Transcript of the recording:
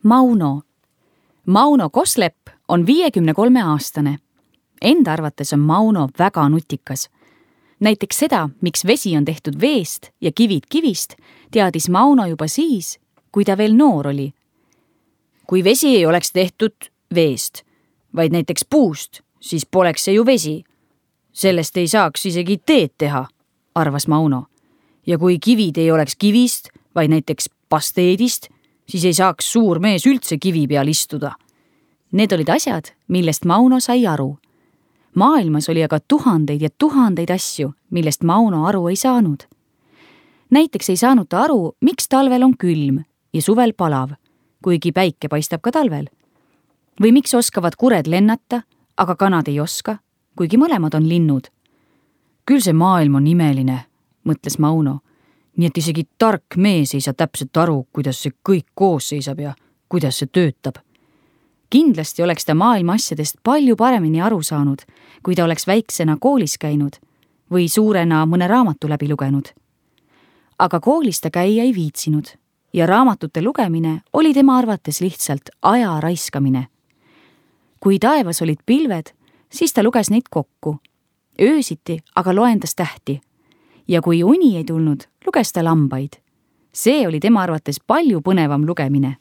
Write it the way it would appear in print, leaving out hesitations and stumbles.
Mauno. Mauno Koslepp on 53-aastane. Enda arvates on Mauno väga nutikas. Näiteks seda, miks vesi on tehtud veest ja kivid kivist, teadis Mauno juba siis, kui ta veel noor oli. Kui vesi ei oleks tehtud veest, vaid näiteks puust, siis poleks see ju vesi. Sellest ei saaks isegi teed teha, arvas Mauno. Ja kui kivid ei oleks kivist, vaid näiteks pasteedist, siis ei saaks suur mees üldse kivi peal istuda. Need olid asjad, millest Mauno sai aru. Maailmas oli aga tuhandeid ja tuhandeid asju, millest Mauno aru ei saanud. Näiteks ei saanud ta aru, miks talvel on külm ja suvel palav, kuigi päike paistab ka talvel. Või miks oskavad kured lennata, aga kanad ei oska, kuigi mõlemad on linnud. Küll see maailm on imeline, mõtles Mauno. Nii et isegi tark mees ei saa täpselt aru, kuidas see kõik koos seisab ja kuidas see töötab. Kindlasti oleks ta maailma asjadest palju paremini aru saanud, kui ta oleks väiksena koolis käinud või suurena mõne raamatu läbi lugenud. Aga koolis ta käia ei viitsinud ja raamatute lugemine oli tema arvates lihtsalt aja raiskamine. Kui taevas olid pilved, siis ta luges neid kokku. Öösiti aga loendas tähti. Ja kui uni ei tulnud, luges ta lambaid. See oli tema arvates palju põnevam lugemine